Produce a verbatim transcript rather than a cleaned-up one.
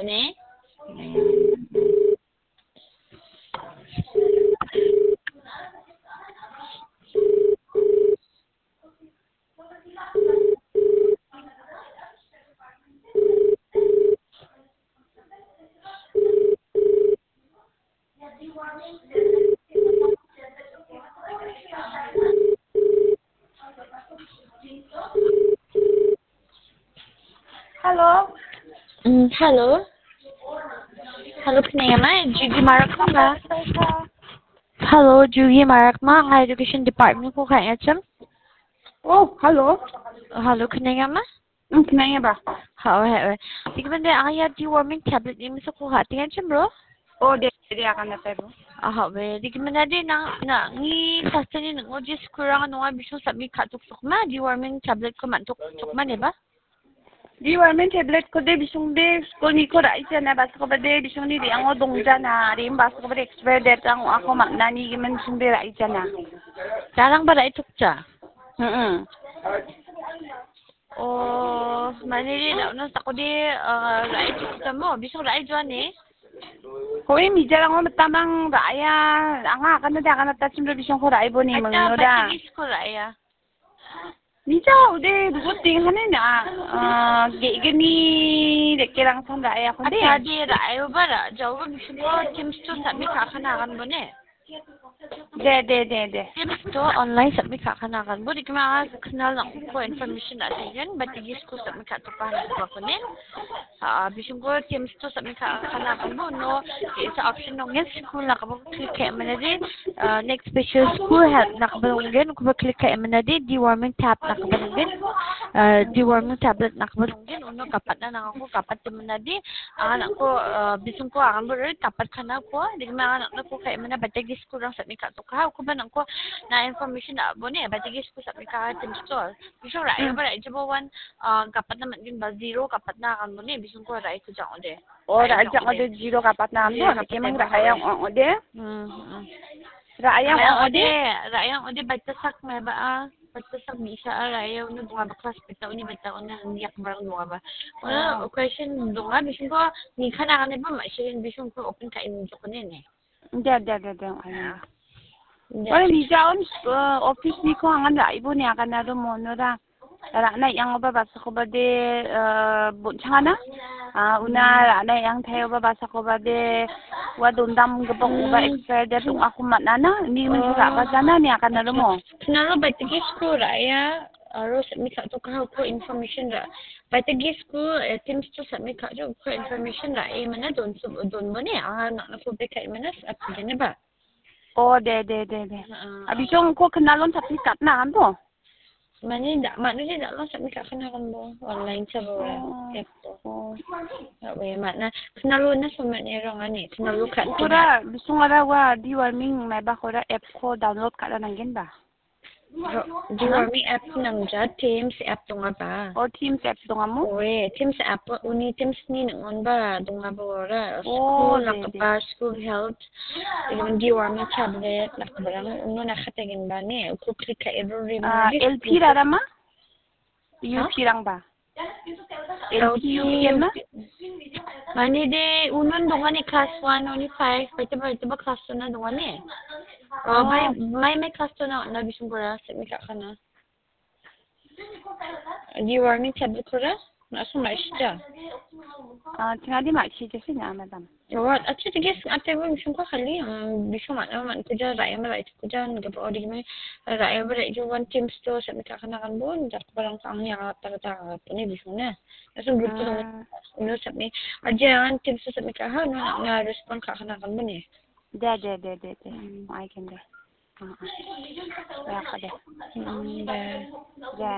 Ne? Hello. Mm, hello. Hello, khneng·a ma? Jugi Marak ma? Hello, Jugi Marak ma? Anga education department-ko ka·enga chim. Oh, hello. Hello, khneng·a ma? Mm, khneng·a ba? Ha, oe, oe. Dikmende anga ia deworming tablet ni misako ka·tenga chim, bro. Oh, de, de, akan datai, bro. Aha, oe. Dikmende de nang, nang, ni sasteni nang, oh, jis kurang nonga bisong sami ka·tok sok ma, deworming tablet ko man·tok sok ma, ne ba? Deworming tablet ko de bisong de school ni ko ra·ijana, basakoba de bisong ni re·ango dongjana, re·ang basakoba de expire date ang ako man·ani gimin bisong de ra·ijana. Jarang ba ra·itokja? Mm-mm. Oh, mane de da·ona sakode, ah, ra·itokjamo, bisong ra·ijoane? Hoi, mijarango mitamang ra·aya, anga akana de akana ta chimro bisong ko ra·iboni mangno da. Acha, batigis ko ra·aya. Nija ode ruguting hane na, ah, ge·gni rekerangsan ra·e akon de. Acha, de ra·e oba ra-, jaoba bisingko Teams to submit ka·kana agan bone. De, de, de, de. Teams to online submit ka·kana agan bo. Dikma anga knal nangko information ra·e gen, but tegisko submit ka·toka hane ko ne. Ah, bisingko Teams to submit ka-, ka·kana agan bo, uno ge·sa option dongen, school nakabo click ka·e mane de, ah, next special school help nakabo dongen, ukoba click ka·e mane de, deworming tab nakabo dongen, ah, deworming tablet nakabo dongen, uno gapatna nangako gapate mane de, ah, nangko, ah, bisingko agan bo re gapatkana ko, dikma anga nangko ka·e mane bategi school rang submit ka-, toka, ukoba nangko na information ra·bo ne, bategi school submit ka-, Teams to. Bising ra·e, hmm, ba ra·e jabo wan, ah, gapatna man·gen ba zero gapatna agan bo ne, bisingko ra·e kujang ode. Oh, ra·e jang ode zero gapatna agan bo, zero na kemang gapatna ra·e agan ode. Hmm, hmm. Ra·e agan ode, ra·e agan ode baita sak me ba a, baita sak bisa a ra·e uno donga ba class baita uni baita uni handi yak barang donga ba. Uno question donga, bisingko ni kana agan ba ma sirin bisingko open ka·e jokone ne. De, de, de, de, ayo. De. Ore, nija on, eh, office ni ko angan ra·ibo ni akan aro mono ra. Ra·na yang oba basakoba de, eh, bon·changana. Ah, una ra·na yang thai oba basakoba de, ua dondam gipok oba expire date ong·ako man·ana. Ni min ra·bajana ni akan aro mo. Knalo baitigi school ra·ia, aro submit ka·toka hako information ra. Baitegi school, eh, Teams to submit ka·jo, uko information ra·e mana don, don bone, anga nang·na ko bek ka·e mana, sa-, apigene ba. Oh, de, de, de, de. Ah, ah. Abisong ko knalon submit ka·na anto? Mane da, mane de da lo submit ka·na kan bo, online sa bo, oh, app bo. Oh. Awe, mana, knalon na so mane rong ani, knalon ka. Kora, bisong ara wa, deworming, mai ba kora app ko download ka·na nanggen ba. Ro-, Deworming app nangja, Teams app donga ba. Oh, Teams app donga mo? Oe, Teams app, uni Teams ni nang·on ba donga ba ora. Oh, school de, de. Nakba, school health, even deworming tablet, nakba rang, uno nakategen ba ne, uko click ka ero rim. Ah, L P rara ma? Ha? U P rang ba? L P, U P, U P na? Mane de, unon dongani class one, oni five, baita ba, baita ba class one na dongani. Oh, oh. Mai, mai, mai class two na, na bising kora, submit ka·kana. Deworming tablet kora, na so mai sita. Ah, tingadi mai sita sih na, madam. What? Acha, tigas, ate bo bising ko kali, um, bising mana, man kuja, raya ma, raya kuja, nggak apa, odi mai, raya ma, raya juan Teams to, submit ka·kana kan bon, jak barang kang yang, tak, tak, ini bising na. Langsung group tu, ah, uno submit. Aja yang Teams to submit ka, ha, no, na respond ka, kana kan bene. De, de, de, de, de. Hmm. Mai kan de. Ah, ah. Ya, ka de. Hmm, de. De.